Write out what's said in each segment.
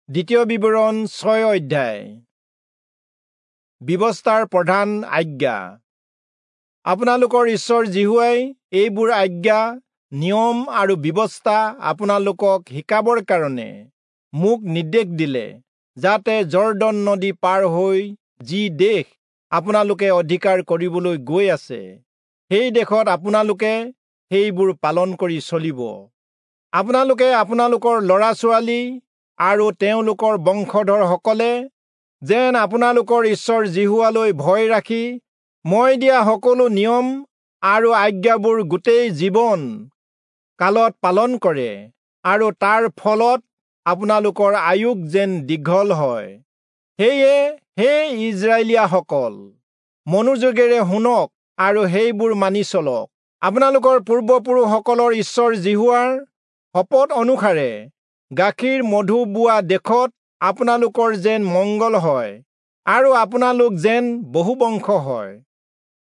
দ্বিতীয় বিৱৰণ 6 অধ্যায়। ব্যৱস্থাৰ প্ৰধান আজ্ঞা। আপোনালোকৰ ঈশ্বৰ যিহোৱাই এইবোৰ আজ্ঞা, নিয়ম আৰু ব্যৱস্থা আপোনালোকক শিকাবৰ কাৰণে মোক নিৰ্দেশ দিলে, যাতে যৰ্দন নদী পাৰ হৈ যি দেশ আপোনালোকে অধিকাৰ কৰিবলৈ গৈ আছে, সেই দেশত আপোনালোকে সেইবোৰ পালন কৰি চলিব। আপোনালোকে আপোনালোকৰ ল'ৰা ছোৱালী আৰু তেওঁলোকৰ বংশধৰসকলে যেন আপোনালোকৰ ঈশ্বৰ যিহোৱালৈ ভয় ৰাখি মই দিয়া সকলো নিয়ম আৰু আজ্ঞাবোৰ গোটেই জীৱন কালত পালন কৰে আৰু তাৰ ফলত আপোনালোকৰ আয়ুস যেন দীঘল হয়। সেয়ে হে ইস্ৰায়েলীয়াসকল, মনোযোগেৰে শুনক আৰু সেইবোৰ মানি চলক। আপোনালোকৰ পূৰ্বপুৰুষসকলৰ ঈশ্বৰ যিহোৱাৰ শপত অনুসাৰে গাখীৰ মধু বোৱা দেশত আপোনালোকৰ যেন মংগল হয় আৰু আপোনালোক যেন বহুবংশ হয়।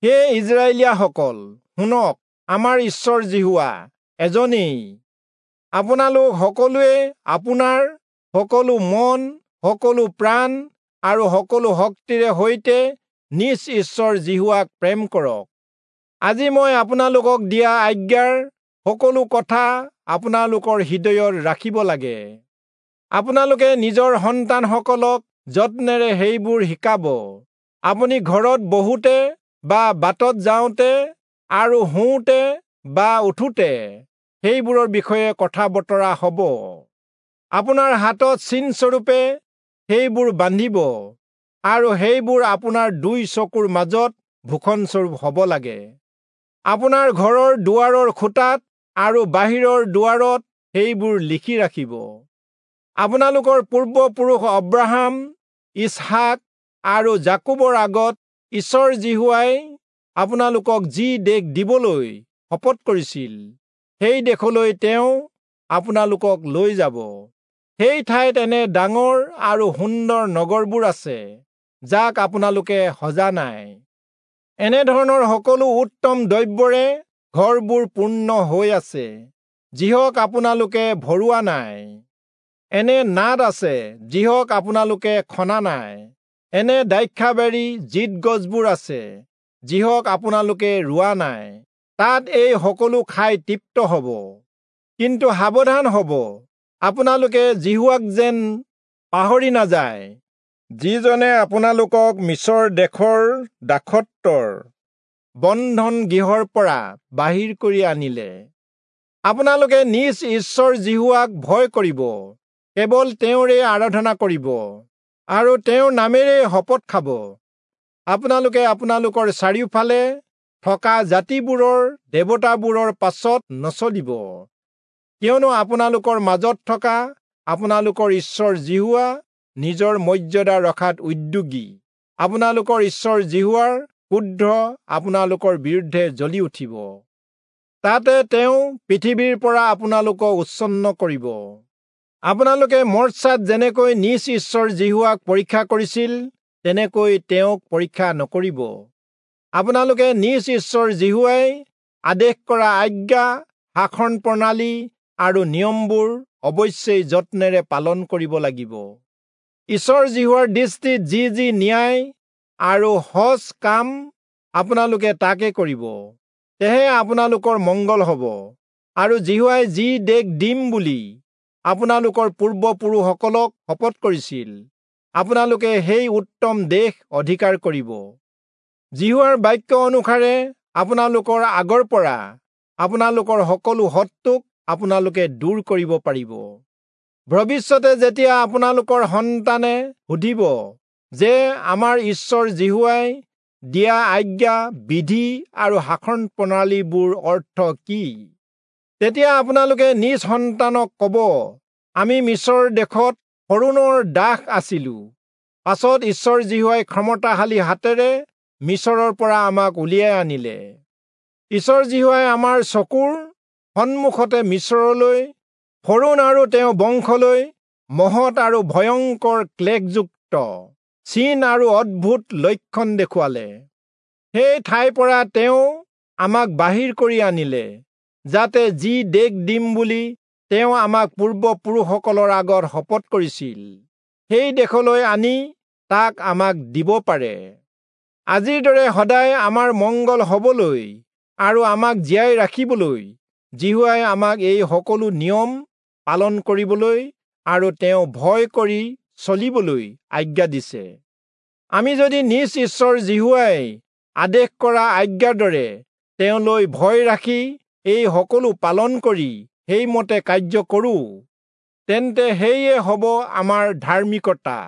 হে ইস্ৰায়েলীয়াসকল, শুনক, আমাৰ ঈশ্বৰ যিহোৱা এজনেই। আপোনালোক সকলোৱে আপোনাৰ সকলো মন, সকলো প্ৰাণ আৰু সকলো শক্তিৰে সৈতে নিজ ঈশ্বৰ যিহোৱাক প্ৰেম কৰক। আজি মই আপোনালোকক দিয়া আজ্ঞাৰ সকলো কথা আপোনালোকৰ হৃদয়ত ৰাখিব লাগে। আপোনালোকে নিজৰ সন্তানসকলক যত্নেৰে সেইবোৰ শিকাব। আপুনি ঘৰত বহোতে বা বাটত যাওঁতে আৰু শুওঁতে বা উঠোতে সেইবোৰৰ বিষয়ে কথা বতৰা হ'ব। আপোনাৰ হাতত চিনস্বৰূপে সেইবোৰ বান্ধিব আৰু সেইবোৰ আপোনাৰ দুই চকুৰ মাজত ভূষণস্বৰূপ হ'ব লাগে। আপোনাৰ ঘৰৰ দুৱাৰৰ খুঁটাত আৰু বাহিৰৰ দুৱাৰত সেইবোৰ লিখি ৰাখিব। আপোনালোকৰ পূৰ্বপুৰুষ অব্ৰাহাম, ইচহাক আৰু যাকোবৰ আগত ঈশ্বৰ যিহোৱাই আপোনালোকক যি দেশ দিবলৈ শপত কৰিছিল, সেই দেশলৈ তেওঁ আপোনালোকক লৈ যাব। সেই ঠাইত এনে ডাঙৰ আৰু সুন্দৰ নগৰবোৰ আছে, যাক আপোনালোকে সজা নাই। এনেধৰণৰ সকলো উত্তম দ্ৰব্যৰে ঘৰবোৰ পূৰ্ণ হৈ আছে, যিহক আপোনালোকে ভৰোৱা নাই। এনে নাদ আছে, যিহক আপোনালোকে খনা নাই। এনে দ্ৰাক্ষাবাৰী জিত গছবোৰ আছে, যিহক আপোনালোকে ৰোৱা নাই। তাত এই সকলো খাই তৃপ্ত হ'ব। কিন্তু সাৱধান হ'ব, আপোনালোকে যিহোৱাক যেন পাহৰি নাযায়, যিজনে আপোনালোকক মিচৰ দেশৰ দাসত্বৰ বন্ধন গৃহৰ পৰা বাহিৰ কৰি আনিলে। আপোনালোকে নিজ ঈশ্বৰ যিহোৱাক ভয় কৰিব, কেৱল তেওঁৰে আৰাধনা কৰিব আৰু তেওঁৰ নামেৰে শপত খাব। আপোনালোকে আপোনালোকৰ চাৰিওফালে থকা জাতিবোৰৰ দেৱতাবোৰৰ পাছত নচলিব, কিয়নো আপোনালোকৰ মাজত থকা আপোনালোকৰ ঈশ্বৰ যিহোৱা নিজৰ মৰ্যাদা ৰখাত উদ্যোগী। আপোনালোকৰ ঈশ্বৰ যিহোৱাৰ ক্ৰোধ আপোনালোকৰ বিৰুদ্ধে জ্বলি উঠিব, তাতে তেওঁ পৃথিৱীৰ পৰা আপোনালোকক উচ্ছন্ন কৰিব। আপোনালোকে মৰ্চাত যেনেকৈ নিজ ঈশ্বৰ যিহোৱাক পৰীক্ষা কৰিছিল, তেনেকৈ তেওঁক পৰীক্ষা নকৰিব। আপোনালোকে নিজ ঈশ্বৰ যিহোৱাই আদেশ কৰা আজ্ঞা, শাসন প্ৰণালী আৰু নিয়মবোৰ অৱশ্যেই যত্নেৰে পালন কৰিব লাগিব। ঈশ্বৰ যিহোৱাৰ দৃষ্টিত যি যি ন্যায় আৰু সজ কাম আপোনালোকে তাকে কৰিব, তেহে আপোনালোকৰ মংগল হ'ব। আৰু যিহোৱাই যি দেশ দিম বুলি আপোনালোকৰ পূৰ্বপুৰুষসকলক শপত কৰিছিল, আপোনালোকে সেই উত্তম দেশ অধিকাৰ কৰিব। যিহোৱাৰ বাক্য অনুসাৰে আপোনালোকৰ আগৰ পৰা আপোনালোকৰ সকলো শত্ৰুক আপোনালোকে দূৰ কৰিব পাৰিব। ভৱিষ্যতে যেতিয়া আপোনালোকৰ সন্তানে সুধিব যে আমাৰ ঈশ্বৰ যিহোৱাই দিয়া আজ্ঞা, বিধি আৰু শাসন প্ৰণালীবোৰ অৰ্থ কি, তেতিয়া আপোনালোকে নিজ সন্তানক ক'ব, আমি মিচৰ দেশত ফৰৌণৰ দাস আছিলো, পাছত ঈশ্বৰ যিহোৱাই ক্ষমতাশালী হাতেৰে মিচৰৰ পৰা আমাক উলিয়াই আনিলে। ঈশ্বৰ যিহোৱাই আমাৰ চকুৰ সন্মুখতে মিচৰলৈ, ফৰৌণ আৰু তেওঁৰ বংশলৈ মহৎ আৰু ভয়ংকৰ ক্লেশযুক্ত চিন আৰু অদ্ভুত লক্ষণ দেখুৱালে। সেই ঠাইৰ পৰা তেওঁ আমাক বাহিৰ কৰি আনিলে, যাতে যি দেশ দিম বুলি তেওঁ আমাক পূৰ্বপুৰুষসকলৰ আগত শপত কৰিছিল, সেই দেশলৈ আনি তাক আমাক দিব পাৰে। আজিৰ দৰে সদায় আমাৰ মংগল হবলৈ আৰু আমাক জীয়াই ৰাখিবলৈ যিহোৱাই আমাক এই সকলো নিয়ম পালন কৰিবলৈ আৰু তেওঁ ভয় কৰি চলিবলৈ আজ্ঞা দিছে। আমি যদি নিজ ঈশ্বৰ যিহোৱাই আদেশ কৰা আজ্ঞাৰ দৰে তেওঁলৈ ভয় ৰাখি এই সকলো পালন কৰি সেইমতে কাৰ্য কৰোঁ, তেন্তে সেয়ে হ'ব আমাৰ ধাৰ্মিকতা।